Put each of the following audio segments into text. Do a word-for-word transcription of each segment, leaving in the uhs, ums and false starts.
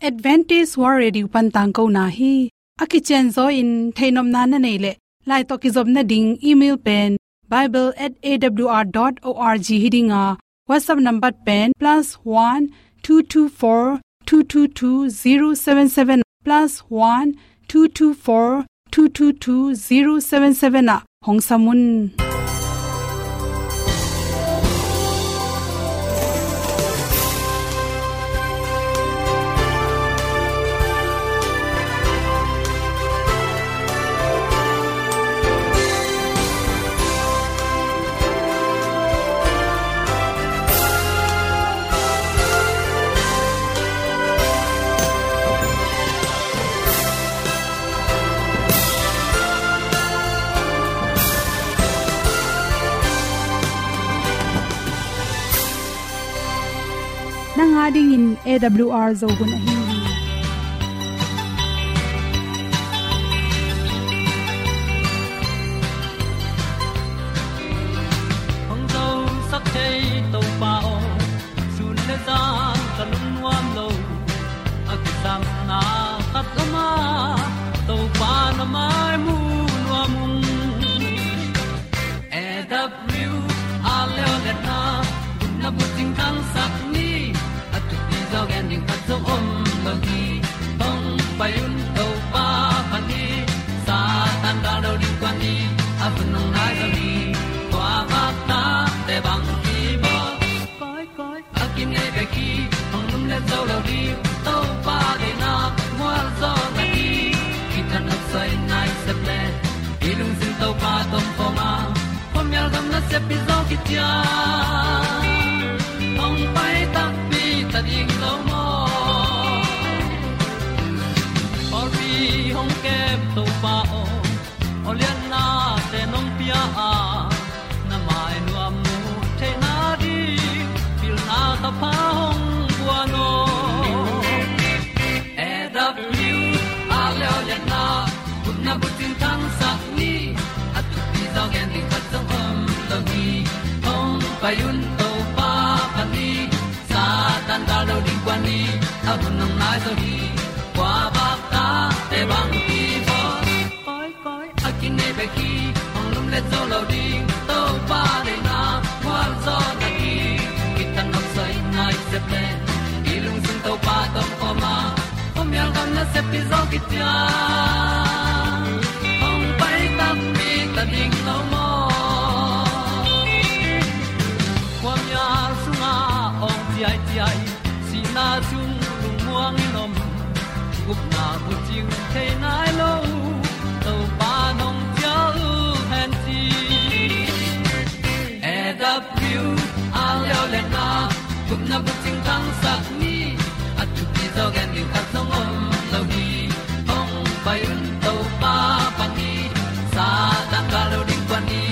Adventist World Radio pan tangkona hi. A kicianzaw in theihnopna na neih leh, lai tawh kizopna ding email pen bible at A W R dot org hi ding a, WhatsApp number pen plus one two two four two two two zero seven seven, plus one two two four two two two zero seven seven ah hong sam un. Nang a dingin A W R Zo hun ahi hi. Hong zosak thei Topa aw, sun le zan ka lungnuam lo. A kisapna khat om a, Topa na mai mu nuam ung. A W R Leoleh na, gupna bucing thangsak ni, a thupi zaw gen ding khat zong om lo hi. Hong pai un Topa phat ni, Satan gal lo ding kuan ni, a hun hong nai zaw hi. Kua vak ta te bang hi maw? Koi, koi, a kinei bek hi, hong lumlet zo lo ding, Topa deihna mual zaw na hi. Kithat nopsai nai sep le, i lungsim Topa tawh om khawm a, khuamial gam nasep pi zaw kician, hong pai takpi ta ding lo maw? Pawlpi hong kem Topa aw, aw lianna te nong pia a, na mai nuam mu theihna ding, pilna thapha hong guan aw. A W R Leoleh na, gupna bucing thangsak ni, a thupi zaw gen ding khat zong om lo hi. Hong pai un Topa phat ni, Satan gal lo ding kuan ni, a hun hong nai zaw hi. Kua vak ta te bang hi maw? Koi, koi, a kinei bek hi, hong lumlet zo lo ding, Topa deihna mual zaw na hi. Kithat nopsai nai sep le, i lungsim Topa tawh om khawm a, khuamial gam nasep pi zaw kician, hong pai takpi ta ding lo maw? Khuamial sungah awng ciaiciai, sihna sung lungmuang in om, gupna bucing thei nai lo, Topa nong cial hen ci. A W R Leoleh na, gupna bucing thangsak ni, a thupi zaw gen ding khat zong om lo hi. Hong pai un Topa phat ni, Satan gal lo ding kuan ni,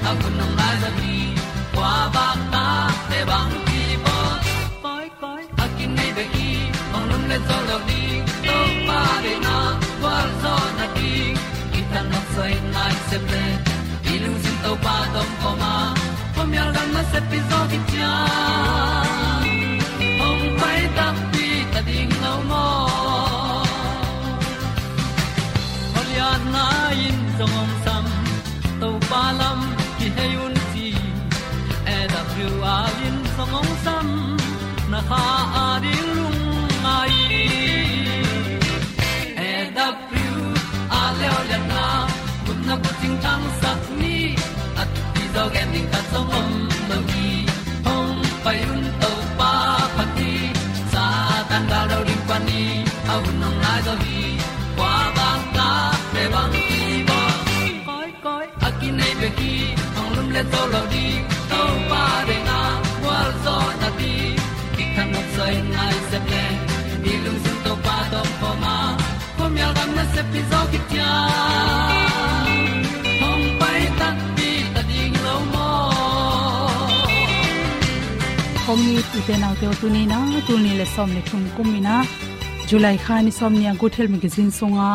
a hun hong nai zaw hi. Kua vak ta te bang hi maw? Koi, koi, a kinei bek hi, hong lumlet zo lo ding, Topa deihna mual zaw na hi. Kithat nopsai nai sep le, i lungsim Topa tawh om khawm a, khuamial gam nasep pi zaw kician, hong pai takpi ta ding lo maw? Aw lianna in zong hong sam, Topa lam kihei un ci. A W R in zong hong sam, na kha a ding lungngai. A W R Leoleh na, gupna bucing thangsak ni, a thupi zaw gen ding khat zong om lo hi. Hong pai un Topa phat ni, Satan gal lo ding kuan ni, a hun hong nai zaw hi. Kua vak ta te bang hi maw? Koi, koi, a kinei bek hi, hong lumlet zo lo ding, Topa deihna mual zaw na hi. Kithat nopsai nai sep le, i lungsim Topa tawh om khawm a, khuamial gam nasep pi zaw kician, hong pai takpi ta ding lo maw? Hong it u te nau te aw, tuni in a, tul nih le sawm le thum kum in a, July kha ni sawmnih a, Good Health Magazine sunga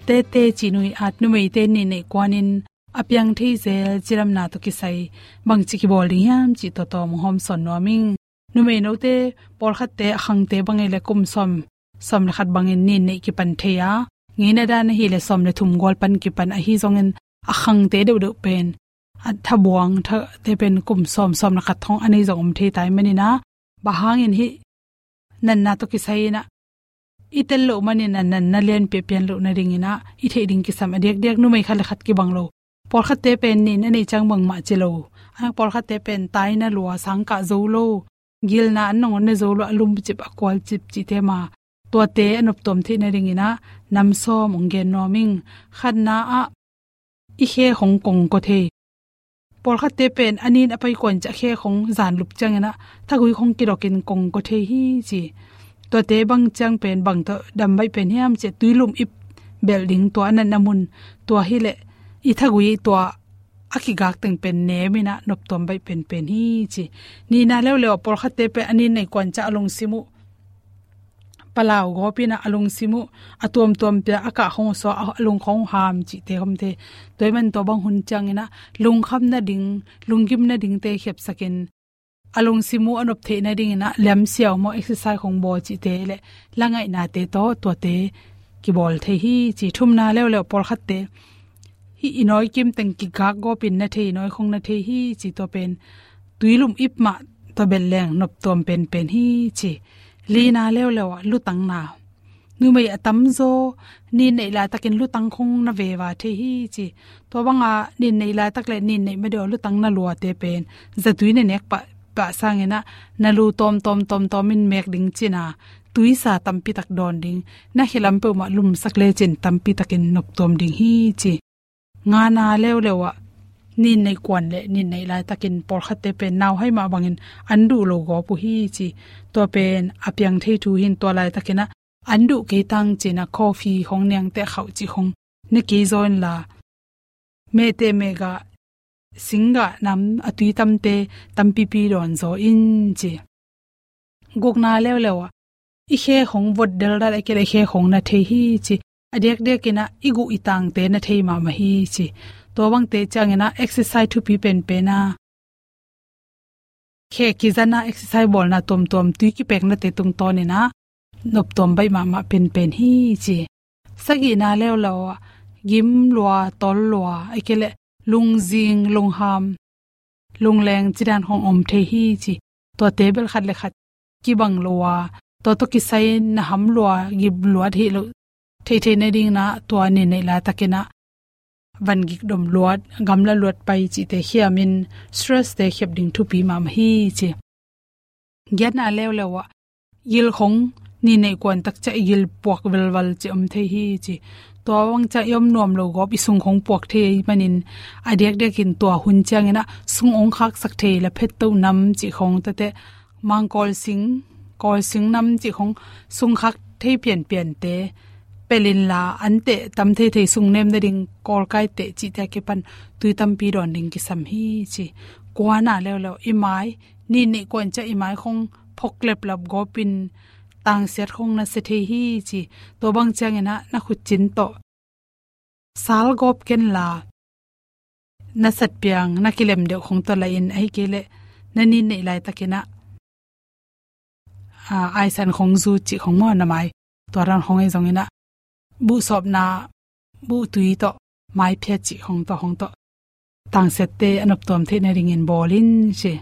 Tete cih nu i at numeite nih neih kuanin a piang thei zel cidamna tawh kisai bangci kibawl ding hiam cih tawh tawm hong hawmsawn nuam ing. Numei note pawlkhatte a khangte bang ei le kum sawm sawm le khat bangin nin neih kipan thei a, ngeina dan ahih leh sawm le thum gual pan kipan ahi zongin a khangte deuhdeuh pen a thabuang thate pen kum sawm, sawm le khat thong a nei zong om thei tai manin ah, bang hangin hih natna tawh kisai in ah i tel loh manin ah natna lianpi a pian loh nadingin ah i theih ding kisam a diakdiak numei khat le khat kibang lo. Pawlkhatte pen nin a neih ciang bangmah ci lo. A pawlkhatte pen taina lua, sangkah zo lo, gilna an nangawn ne zo lo, a lumcip a kualcip cihte mah tuate a noptuam theih nadingin ah nam sawm hong gen nuam ing. Khatna ah i khe khong kongkaw thei. Pawlkhatte pen a nin a pai kuan ciang khe khong zan lup ciangin ah thagui khong kidokin kongkaw thei hi ci. Tuate bang ciang pen bang tawh dam baih pen hiam cih leh tuilum ip belh ding, tua a natna mun, tua hi leh i thagui tua a kigak teng pen nem in ah noptuam baih penpen hi ci. Nihna leuleu ah pawlkhatte pen a nin neih kuan ciang a lungsim uh palau gawp in ah a lungsim uh a tuamtuam pia a kah khong uh suak, a lung khong uh ham cihte khawmte. Tua ahih manin tua bang hun ciangin ah lungkham nading, lunggim nadingte khepsakin a lungsim uh a nop theih nadingin ah liamsiau maw, exercise khong bawl cihte le la ngaihnate tawh tuate kibawl thei hi ci. Thumna leuleu pawlkhatte hih i nawi kim teng kigak gawpin na thei, nawi khong na thei hi ci, tua pen tuilum ip mah tua belh leng noptuam penpen hi ci. Lina leuleu ah lutangna. Numei a tamzaw nin neih laitakin lutang khong na veva thei hi ci. Tua banga nin neih laitak le nin neih ma deuh lutang na luate pen zatui na nek pah, pah sangin ah na lu tawm tawm tawm tawm in mek ding cin a, tuisa tampitak dawn ding, na khelam peuhmah lumsak lecin tampitakin noptuam ding hi ci. Ngana leuleu ah nin neih kuan le nin neih laitakin pawlkhatte pen nauhai mah bangin an duh lo gawp uh hi ci. Tua pen a piang thei thu hi in, tua laitakin ah an duh kei tang cin a, coffee khong, niangte khauh cih khong ne kei zaw inla, mehteh mehgah, singgah nam a tui tamte tampipi dawn zaw in ci. Gukna leuleu ah i khe khong vot deldal, a kei le i khe khong na thei hi ci. A diakdiakin ah i guh i tangte na thei mahmah hi ci. Tua bangte ciangin ah exercise thupi penpen a, khe kizan a exercise bawlna tuamtuam, tui kipeknate tungtawnin ah noptuam baih mahmah penpen hi ci. Sagihna leuleu ah gim lua, tol lua, a kei le lungzing, lungham, lungleng cidan khong om thei hi ci. Tuate bel khat le khat kibang lo a, tua tawh kisai na ham lua, gim lua thei lo, theihtheih nadingin ah tua nin neih laitakin ah van gik dom luat, gamla luat pai cihte khiamin stress-te khep ding thupi mahmah hi ci. Giatna leuleu ah gil khong nin neih kuan tak ciang i gil puak velval cih om thei hi ci. Tua bang ciang i om nuam lo gawp i sung khong puak thei ahih manin a diakdiakin tua hun ciangin ah sung hong khaksak thei la phettoh nam cih khong, tate mangkawlsing, kawlsing nam cih khong sung khak thei pianpiante pelh inla, anteh tam theithei sung nem nading kawlkaiteh cihte a kipan tui tampi dawn ding kisam hi ci. Kuana leuleu i mai, nin neih kuan ciang i mai khong phok leplap gawpin tangsiat khong na sia thei hi ci. Tua bang ciangin ah na khutcin tawh sal gawp kenla, na satpiang, na kilem deuh khong tawh la in, ahih kei leh na nin neih laitakin ah, a, aisan khong, zu cih khong maw, na mai, tua dan khong ahi zongin ah buhsawpna, buhtui tawh, maiphiat cih khong tawh, khong tawh tangsiatte a noptuam theih nadingin bawl in ci.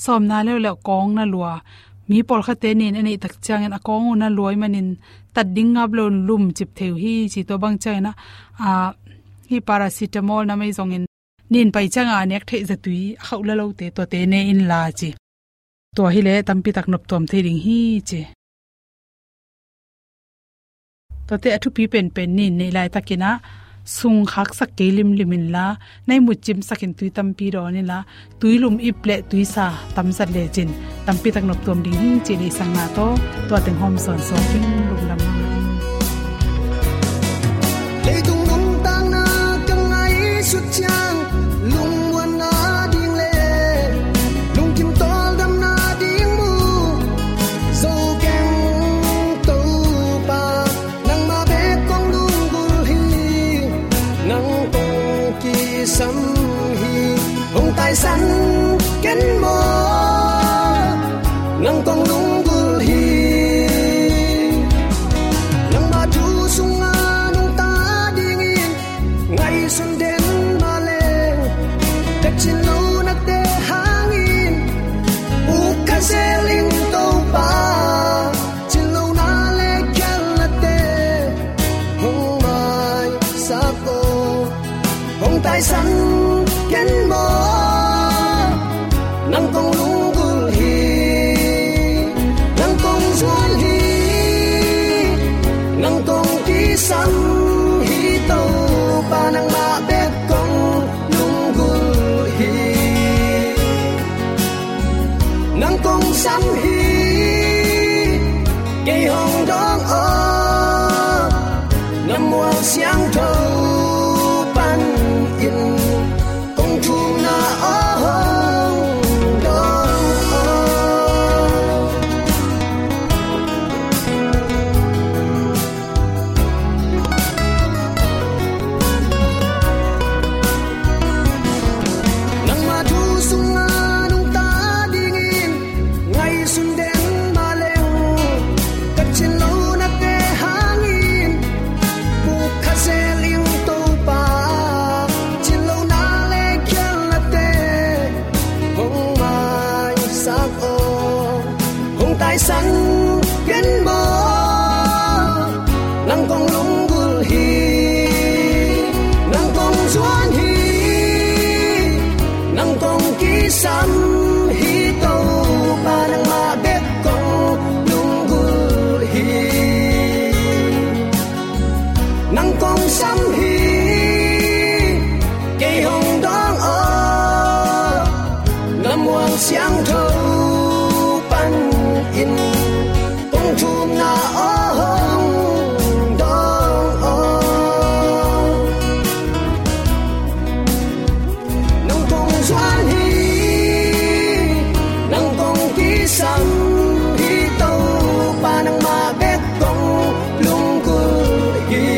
Sawmna leuleu kawng na lua. Mi pawlkhatte nin a neih tak ciangin a kawng uh na lua ahih manin tat ding ngap lo, lumcip thei uh hi ci. Tua bang ciangin ah, a, hih paracetamol nam ahi zongin nin pai ciangin a nek theih zatui, a khauh la lote, tuate ne inla ci. Tua hi leh tampitak noptuam thei ding hi ci. Tuate a thupi penpen, nin neih laitakin ah sung khaksak kei limlim inla, na ihmut cimsakin tui tampi dawn inla, tuilum ip le tuisa tamzat lecin tampitak noptuam ding hi cih deihsakna tawh tua teng hawm sawnsawn ing. Lungdam mahmah ing. Leitung nuntakna ka ngaihsut ciang lungmuanna ding le lungkim tawldamna ding mu zo keng Topa, nangmah bek kong lunggulh hi, nang kong kisam hi. Hong taisan ken maw, nang kong lunggulh hi. San ken maw, nang kong lunggulh hi, nang kong zuan hi, nang kong kisam hi, Topa nangmah bek kong lunggulh hi. Nang kong sam hi, kei hong dawng aw, na mual siangtho panin kong thumna aw hong dawng aw. Nangma thu sungah nungta dingin ngaihsun den mah leng, ka thinlonate hangin puk kha zel ing Topa, thinlona le khialnate hong maisak aw. Hong taisan ken maw, nang kong lunggulh hi, nang kong zuan hi, nang kong kisam hi, Topa nangmah bek kong lunggulh hi. Nang kong sam hi, kei hong dawng aw, na mual siangtho panin kong thumna aw hong dawng aw. Nang kong zuan hi, nang kong kisam hi, Topa nangmah bek kong lunggulh hi.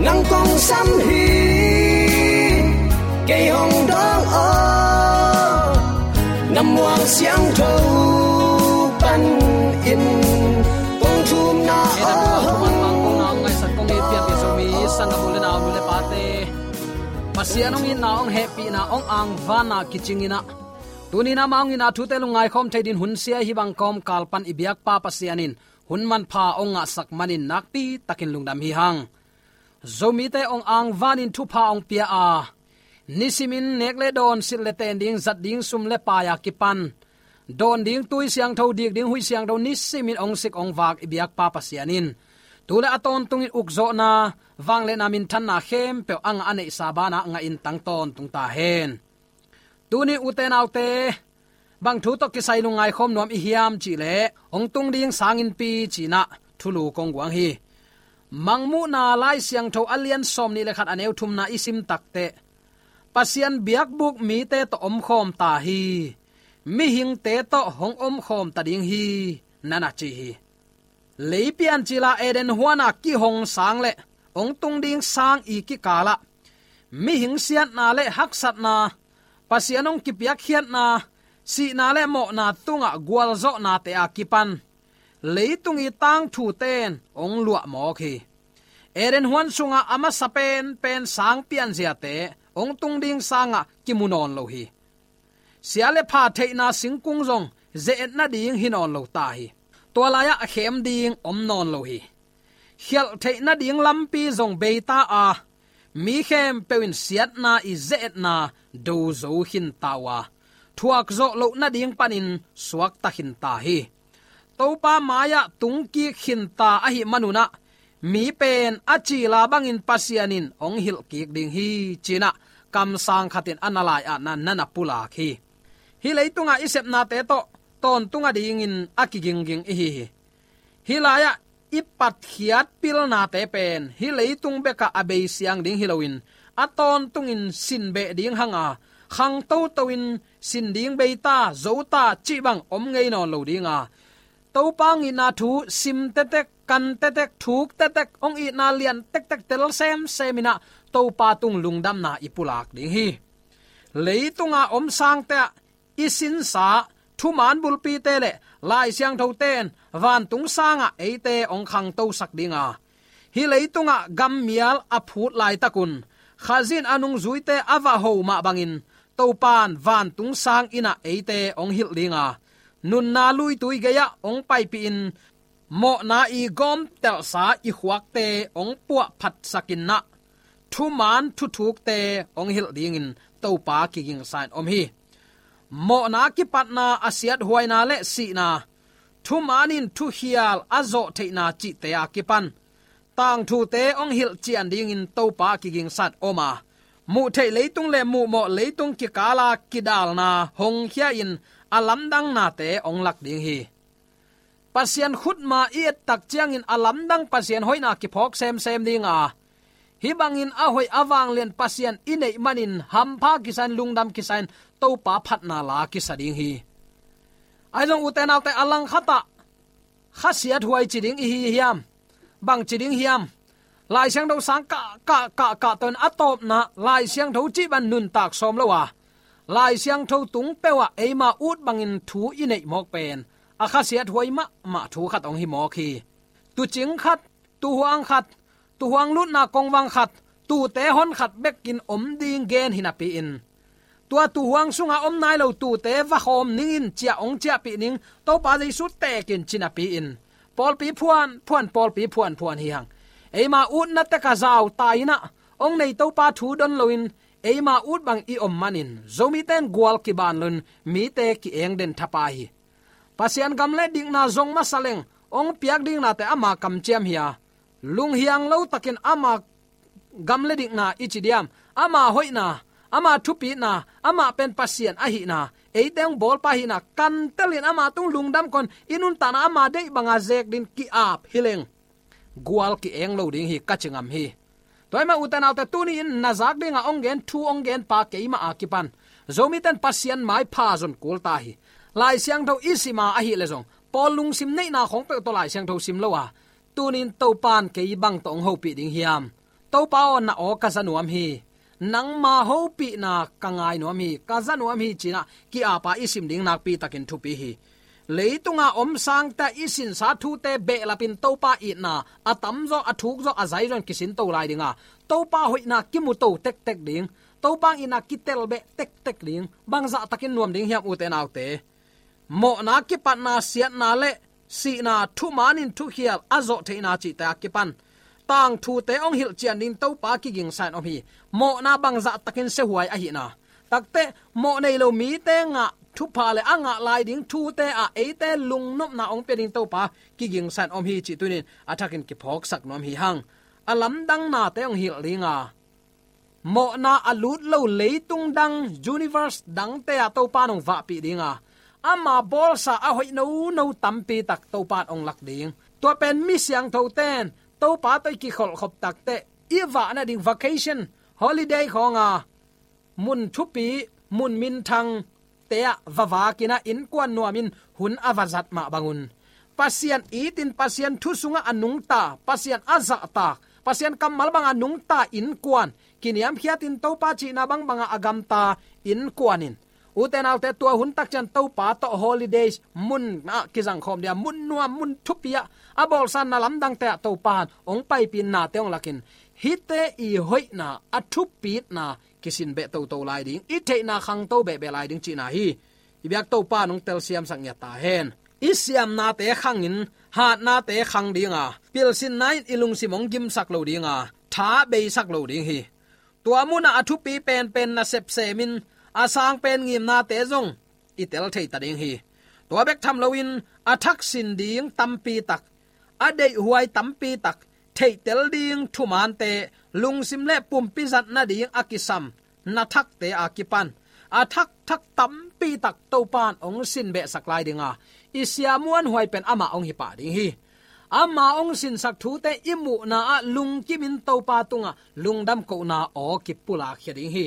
Nang kong sam hi, kei hong dawng aw, na mual siangtho panin kong thumna aw hong. Pasian hong itna, hong hehpihna, hong angvanna kicing in ah, tuni-in amah hong itna thute lungngai khawm thei dingin hun sia hih bang kawmkal pan i biakpa Pasian in hun manpha hong ngahsak manin nakpi takin lungdam hi hang. Zomite hong angvanin thupha hong pia a, nisimin nek le dawn, silh le ten ding, zat ding sum le pai a kipan, dawn ding tui siangtho, dik ding huih siangtho nisimin hong sik hong vak i biakpa Pasian in tu le a tawntungin ukzawhna, vangliatna, minthanna khempeuh a ngah a neihsa banah ngahin tang tawntung ta hen. Tuni ute naute, bang thu tawh kisai lungngai khawm nuam i hiam cih leh, hong tung ding sanginpi ci-in ah thulu kong guang hi. Mangmuhna Lai Siangtho a lian sawmnih le khat, a neu thumna i sim takteh, Pasian biakbuk mite tawh omkhawm ta hi, mihingte tawh hong omkhawm ta ding hi, na na ci hi. Leipian cil a Eden huan a kihong sang le hong tung ding sang i kikalah mihing siatna le haksatna, Pasian hong kipiakkhiatna, sihna le mawhna tungah gualzawhnate a kipan leitung i tangthute in hong luahmawk hi. Eden huan sungah a masa penpen sang pianziate hong tung ding sangah kimu nawn lo hi. Sia le pha theihna singkung zong ze-et nading hi nawn lo ta hi. Tua lai-ah a khem ding om nawn lo hi. Khialh theih nading lampi zong bei ta a, mi khempeuh in siatna i ze-etna do zo khin ta uh a, thuak zawh loh nading panin suakta khin ta hi. Topa mai-ah tungkik khin ta ahih manun ah, mi pen a cil a bangin Pasian in hong hilhkik ding hi, ci-in ah kamsang khat in a na lai-ah na na pulak hi. Hih leitungah i sepnate tawh tawntung a dingin a kigingging i hi hi. Hih lai-ah i patkhiat pilnate pen hih leitung bekah a bei siang ding hi loin, a tawntungin sin beh ding hang a, khangtoto in sin ding bei ta, zo ta cih bang om ngei nawn lo ding a, Topa hong itna thu sim tektek, kan tektek, thuk tektek, hong itna lian tektek tel semsem in ah Topa tung lungdamna i pulak ding hi. Leitunga om sangte ah i sinsa thuman bulpite le Lai Siangthote in vantung sangah eite hong khangtosak ding a, hih leitungah gammial a phut laitakun Khazih in a nungzuite a va ho mah bangin Topa in vantung sang inn ah eite hong hilh ding a, nunna luitui gei-ah hong paipihin mawhna i gawmtelhsa i khuakte hong puahphatsak in ah, thuman thuthukte hong hilh dingin Topa kigingsa in om hi. Mawhna kipatna, a siathuaina le sihna, thuman in thukhial a zawh theihna cihte a kipan tangthute hong hilh cian dingin Topa kigingsa in om a, muh theih leitung le muhmawh leitung kikala kidalna hong khia in a lamdangnate hong lak ding hi. Pasian khutma i et tak ciangin a lamdang Pasian hoihna kiphawk semsem ding a, hih bangin a hoih a vanglian Pasian i neih manin hampha kisa in, lungdam kisa in, Topa phatna la kisa ding hi. Ahi zong ute naute, a langkhat ah khasiathuai ci ding i hi hiam? Bang ci ding hiam? Lai Siangtho sang kah kah kah kah tawh in a tawpna Lai Siangtho cih bang nuntak sawm lo a, Lai Siangtho tung peuh ah eima ut bangin thu i neih mawk pen a khasiathuai mahmah thu khat hong hi mawk hi. Tuucing khat, tuuhuang khat, tuuhuang lutna kongvang khat, tuute hon khat bekin om ding gen hi napi-in, tua tuuhuang sunga om nai lo tuute va khawm ning in, ciah hong ciahpih ning, Topa Jesu teek in ci napi-in, pawlpi phuan phuan, pawlpi phuan phuan hi hang. Eima utna tek a zau ta in ah, hong nei Topa thu don loin eima ut bang i om manin Zomite in gual kiban loin mite ki-eng den thapa hi. Pasian gam le dikna zong masa leng hong piak diknate ama kamciam hi a, lunghiang lo takin ama gam le dikna i ci diam, ama hoihna, ama thupitna, ama pen Pasian ahihna, eite hong bawlpa ahihna kantelin ama tung lungdam kon i nuntakna ama deih banga zek din ki-ap hi leng gual ki-eng lo ding hi, ka ci ngam hi. Tua ahih mah ute naute, tuni-in na zak dinga hong gen thu, hong genpa keimah a kipan Zomite in Pasian maipha zon kul ta hi. Lai Siangtho i sima ahih leh zong Paul lungsim neihna khawng peuh tawh Lai Siangtho sim lo a, tuni-in Topa in kei bang tawh hong hopih ding hiam? Topa aw, na aw ka za nuam hi. Nangma hopihna ka ngai nuam hi, ka za nuam hi, ci-in ah ki-apa i sim ding nakpi takin thupi hi. Leitunga om sangte i sinsa thute behlapin Topa itna a tamzaw, a thukzaw, a zaizaw in kisinto lai dinga, Topa hoihna kimuto tektek ding, Topa itna kitel beh tektek ding, bangzah takin nuam ding hiam ute naute? Mawhna kipatna, siatna le sihna, thuman in thukhial a zawh theihna cihte a kipan tangthute hong hilh cian ding Topa kigingsa in om hi. Mawhna bangzah takin siahuai ahihna, takte mawh nei lo mite ngah thupha le a ngah lai ding thute ah eite lungnopna hong pia ding Topa kigingsa in om hi cih tuni-in a thakin kiphawksak nuam hi hang. A lamdang nate hong hilh dinga, mawhna a lut lo leitung dang, universe dangte ah Topa in hong vahpih dinga, ama bawlsa a hoih nono tampi tak Topa in hong lak ding. Tua pen mi siangthote in Topa tawh i kikholhkhop takteh i vah nading vacation, holiday khawnga mun thupi, mun minthang te ah va vakin ah innkuan nuamin hun a va zat mah bangun, Pasian itin, Pasian thu sungah a nungta, Pasian a zahtak, Pasian kammal bangah a nungta innkuan, kiniamkhiatin Topa cihna bangbangah a gamta innkuan in, ute naute, tua hun takciang Topa tawh holidays mun ah kizangkhawm dia, mun nuam, mun thupi ah, a bawlsa na lamdangte ah Topa in hong paipih in nate hong lakin, hihte i hoihna, a thupitna kisin beh toto lai ding, i theihna khangto behbeh lai ding cihna hi. I biak Topa in hong telsiamsak ngiat ta hen. I siamnate khangin, hatnate khang dinga, pilsinna in i lungsim hong gimsak lo dinga, tha beisak lo ding hi. Tua munah a thupi penpen nasep semin, a sang pen ngimnate zong i tel thei ta ding hi. Tua bek tham loin a thak sin ding tampi tak, a deihhuai tampi tak, theihtel ding thumante, lungsim le pumpi zat nading a kisam na thakte a kipan a thakthak tampi tak Topa in hong sin behsak lai dinga, i sia muanhuai pen amah hong hi pah ding hi. Ama hong sinsak thute i muhna ah lungkimin Topa tungah lungdam kohna aw kipulakkhia ding hi.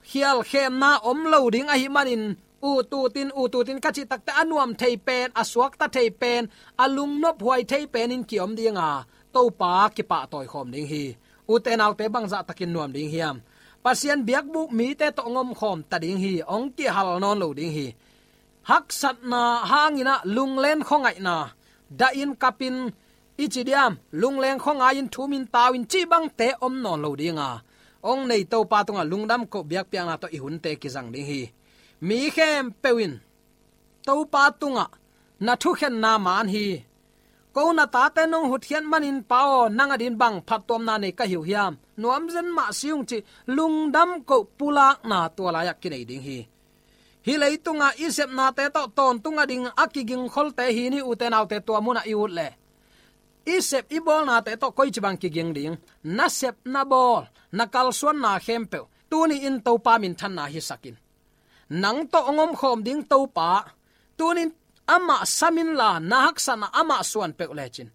Khialkhemna om lo ding ahih manin, ututin, ututin ka cih takte a nuam thei pen, a suakta thei pen, a lungnophuai thei penin kiom dinga, Topa kipahtawi khawm ding hi. Ute naute, bangzah takin nuam ding hiam? Pasian biakbuk mite tawh hong omkhawm ta ding hi, hong kihal nawn lo ding hi. Haksatna hangin ah lunglen khuangaihna, dahin kapin, i ci diam, lungleng khuangai-in thumin tau-in cih bangte om nawn lo dinga, hong nei Topa tungah lungdam koh biakpiakna tawh i hunte kizang ding hi. Mi khempeuh in Topa tungah na thukhenna man hi. Ko na tate nong hutkhiat manin Pa aw, nang adingin bang phattuamna nei ka hi uh hiam? Nuamzen mah si ung cih lungdam koh pulakna tua lai-ah kinei ding hi. Hih leitunga i sepnate tawh tawntung ading a kigingkholte hi ni, ute naute, tua munah i ut leh i sep i bawlnate tawh koici bang kiging ding? Na sep na bawl, na kalsuanna khempeuh tuni-in Topa minthanna hisak in. Nang tawh hong omkhawm ding Topa, tuni-in amah sam inla, na haksatna amah suan peuh lecin,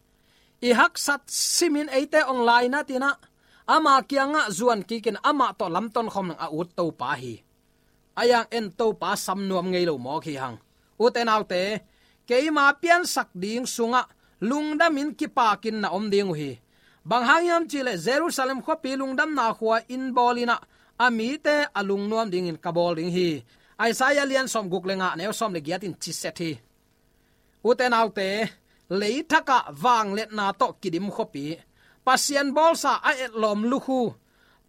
i haksat simin eite hong lainat in ah, ama kiangah zuan kikin amah tawh lamton khawm ding a ut Topa hi. A yang en Topa sam nuam ngei lo mawk hi hang. Ute naute, keima piansak ding sungah lungdamin kipakin na om ding uh hi. Bang hang hiam cih leh Jerusalem khuapi lungdamna khua in bawl in ah, a mite a lungnuam dingin ka bawl ding hi. Isaiah lian sawmguk le nga, neu sawm le giat in ciset hi. Ute naute, leithakah vangliatna tawh kidim khuapi, Pasian bawlsa a etlawm lukhu,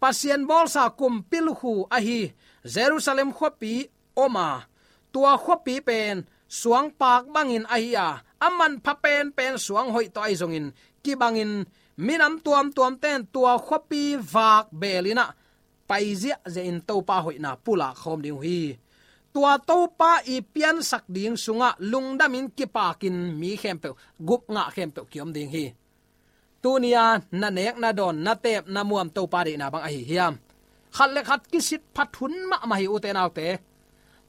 Pasian bawlsa kumpi lukhu ahi Jerusalem khuapi om a, tua khuapi pen suangpak bangin ahi a, a manpha penpen suang hoih tawh ahi zongin kibangin, minam tuamtuamte in tua khuapi vak beel in ah, pai ziahziah in Topa hoihna pulak khawm ding uh hi. Tua Topa i piansak ding sungah lungdamin kipakin mi khempeuh, gupngah khempeuh kiom ding hi. Tuni-a na nek na dawn, na teep na muam Topa deihna bang ahi hiam? Khat le khat kisit phat hun mahmah hi, ute naute.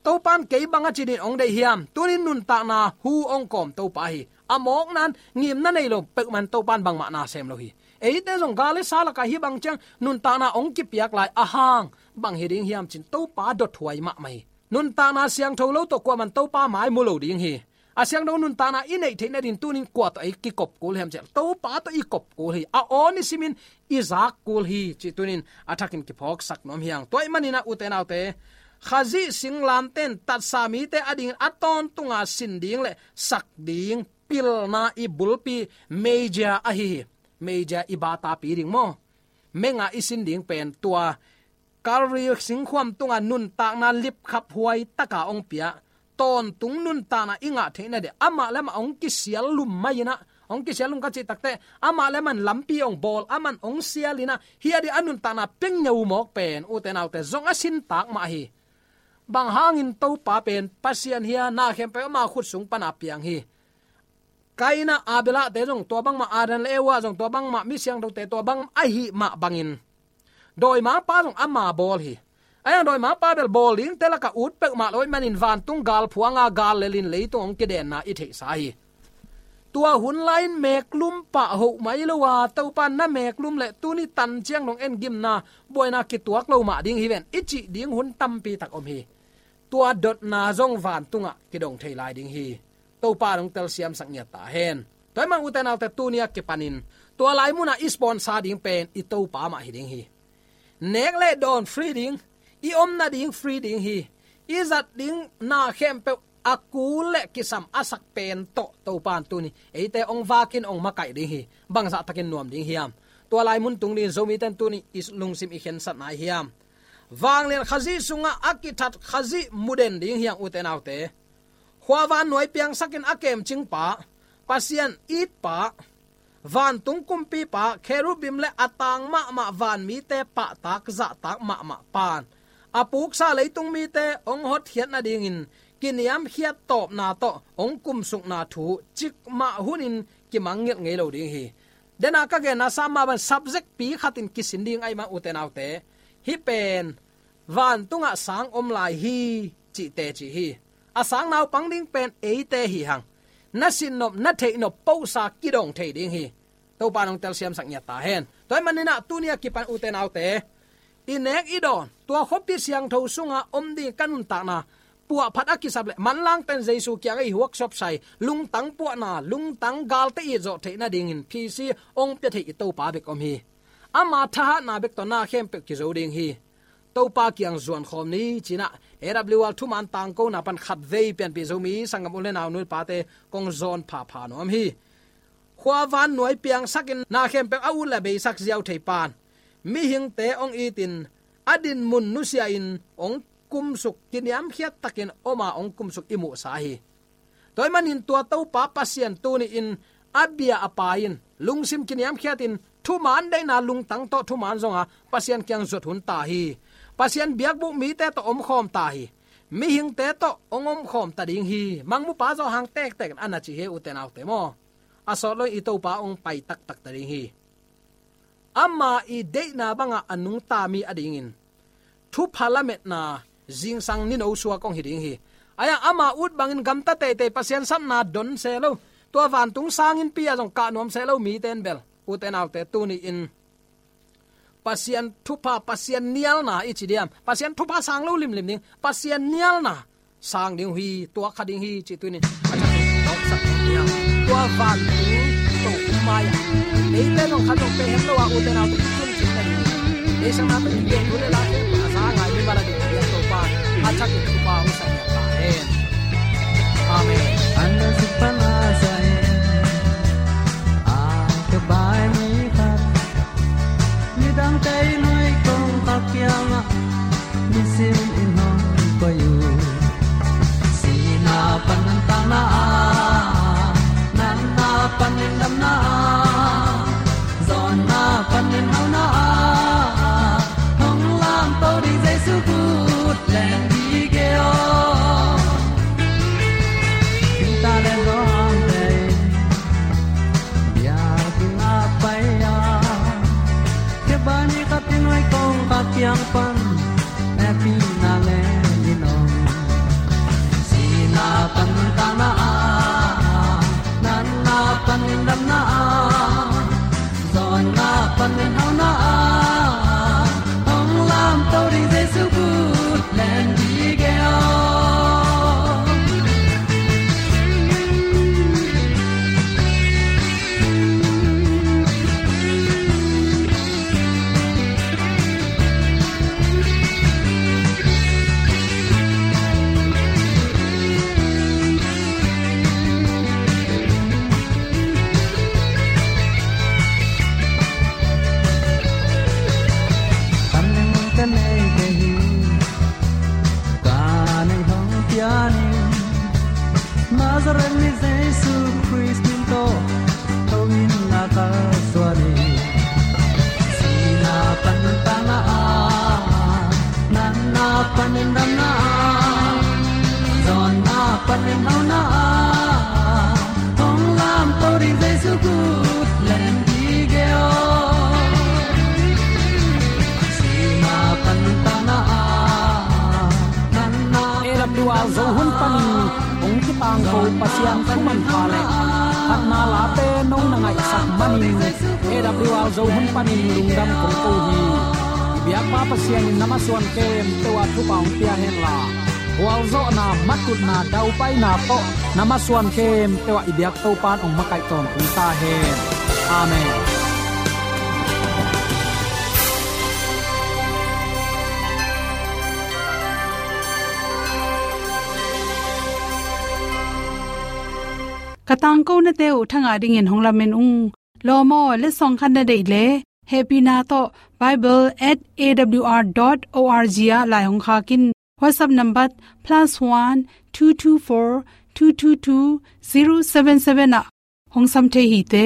Topa in kei bang a ci-in hong deih hiam? Tuni-in nuntakna hu hong kawm Topa hi. A mawkna-in ngimna nei lo peuhmah in Topa in bangmah na sem lo hi. Eite zong gal le sa lakah hih bang ciang nuntakna hong kipiak lai, a hang bang hi ding hiam cih Topa dothuai mahmah hi. Nuntakna siangtho lo tawh kuamah in Topa mai mu lo ding hi. A siangtho nuntakna i neih theih nadingin tuni-in kua tawh i kikop kul hiam cih leh, Topa tawh i kop kul hi. A aw nisimin i zak kul hi cih tuni-in a thakin kiphawksak nuam hi hang. Tua ahih manin ah, ute naute, Khazih singlamteh in tatsa mite adingin a tawntunga sin ding le sak ding pilna i bulpi meija ahi hi. Meija i batapi ding maw? Menga i sin ding pen tua Kalvari singkhuam tunga nuntakna lipkhaphuai taka hong pia, tawntung nuntakna i ngah theih nadingin amah le amah hong kisial lum mai in ah, hong kisial lum ka cih takteh, amah le amah in lampi hong bawl, amah in hong sial in ah, hih a ding a nuntakna pia ngeu mawk pen, ute naute, zong a sintak mah hi. Bang hangin Topa pen Pasian hi a, na khempeuh ama khut sung pana piang hi. Kaina, Abelahte zong tua bangmah, Adam le Eva zong tua bangmah, mi siangthote tua bangmah ahih mah bangin, dawimangpa zong ama bawl hi. A yang dawimangpa bel bawl dingte lakah ut peuhmah lo ahih manin vantung gal phuanga gal lelin leitung hong kidenna i theihsa hi. Tua hun lai-in meeklum pah hoh mai lo a, Topa in na meeklum leh tuni tan ciang dong en gimna, buaina kituak lo mah ding hi ven, i cih ding hun tampi tak om hi. Tua dotna zong vantungah kidong thei lai ding hi. Topa in hong telsiamsak ngiat ta hen. Tua ahih manin ute naute, tuni a kipanin tua lai munah i sponsor ding pen i Topa mah hi ding hi. Nek le dawn free ding, i om nading free ding hi. I zat ding na khempeuh a kul le kisam a sak pen tawh Topa in tuni eite hong vakin hong makaih ding hi. Bangzah takin nuam ding hiam? Tua lai mun tung dingin Zomite in tuni i lungsim i khensatna ahi hiam? Vanglian Khazih sungah a kithat Khazih muden ding hi hang, ute naute. Khua vannuai piangsakin a kemcingpa, Pasian itpa, vantung kumpipa, kherubim le a tang mahmah vanmite pahtak zahtak mahmah pa'n a puksa leitung mite hong hotkhiat nadingin kiniamkhiat tawpna tawh hong kumsukna thu cikmah hunin kimangngilh ngei lo ding hi. Dena ka genna sa mah bang subject pi khatin kisin ding ahih man, ute naute, hih pen vantungah sang om lai hi cih teci hi. A sang naupang ding pen eite hi hang. Na sinnop, na theihnop posa kidong thei ding hi. Topa in hong telsiamsak ngiat ta hen. Tua ahih manin ah tuni a kipan, ute naute, i nek i dawn, tua khuapi siangtho sunga om ding ka nuntakna puahphat a kisap leh manlangte'n Jesu kiangah i workshop sai, lungtang puahna, lungtang galte itzawh theih nadingin P C hong pia thei i Topa bek om hi. Ama thahatna bek tawh na khempeuh kizo ding hi. Topa kiang zuan khawm ni ci-in ah A W R thuman tangkona pan khatvei pianpih Zomi sanggam u le nau, nu le pate kong zawn phapha nuam hi. Khua vannuai piangsakin na khempeuh a ut le a beisak ziau thei pa'n mihingte hong itin a dinmun nusia-in hong kumsuk, kiniamkhiat takin om a hong kumsuk i muhsa hi. Tua ahih manin tua Topa Pasian tuni-in a bia a pai in lungsim kiniamkhiatin thuman deihna lungtang tawh thuman zonga Pasian kiang zuat hun ta hi. Pasian biakbuk mite tawh omkhawm ta hi. Mihingte tawh hong omkhawm ta ding hi. Mangmupa Johan tektek in a na ci hi, ute naute maw. A sawt lo in i Topa hong pai taktak ta ding hi. Ama i deihna banga a nungta mi a dingin thupha lametna zingsang nino suak hong hi ding hi. Ahi a, ama ut bangin gamta teitei, Pasian sapna don se lo, tua vantung sanginn pi-a zong kah nuam se lo mite in bel, ute naute, tuni-in Pasian thupha, Pasian nialna i ci diam, Pasian thupha sang lo limlim ding, Pasian nialna sang ding uh hi, tua kha ding hi, cih tuni-in a thakin nopsak ding hi. Tua vantung to mai-ah eite zong khat zong pe het lo a, ute naute, i tun cih ta ding. Ei sang na pe ding, tu le la te pa sa ngai mi bala ding, Topa a thakin thupha hong sa ta hen. Amen. An na sik pan a sa hen. A ka bai mi khat. Midangte i nuai kong ka kiangah nisim in hong koih uh. Sihna panin nuntakna ah, natna panin damna ah, zawnna panin hauna ah, hong lamto ding Jesu kut len ding hi aw. Inn ta le zawngte biakinn ah pai a, khe bai ni khat i nuai kong ka kiang pan hehpihna len in om. Sihna panin nuntakna ah, natna panin damna ah, zawnna panin hauna ah, hong lamto ding Jesu kut len ding hi aw. Kan leng ka nei te hi, ka nei hong pian in, Nazareth mi Jesu Khrist min tawh tho in na ka suan hi. Sihna panin nuntakna ah, natna panin damna ah, zawnna panin hauna ah, hong lamto ding Jesu kut len ding hi aw. Sihna panin nuntakna ah, natna A W R Zo hun panin hong kitangko Pasian thu manpha le phatna late nong na ngaihsak manin A W R Zo hun panin lungdam kong ko hi. I biakpa Pasian in na masuan khempeuh ah thupha hong pia henla, gualzawhna, matutna, daupaina tawh na masuan khempeuh ah i biak Topa in hong makaih tawntung ta hen. Amen. Ka tangkonate uh thangah dingin hong lamen ung. Lawm aw, letsong khat na deih leh hehpihna tawh bible at A W R dot O R G ah lai hong khak in. WhatsApp number plus one two two four two two two zero seven seven ah hong sam thei hi te.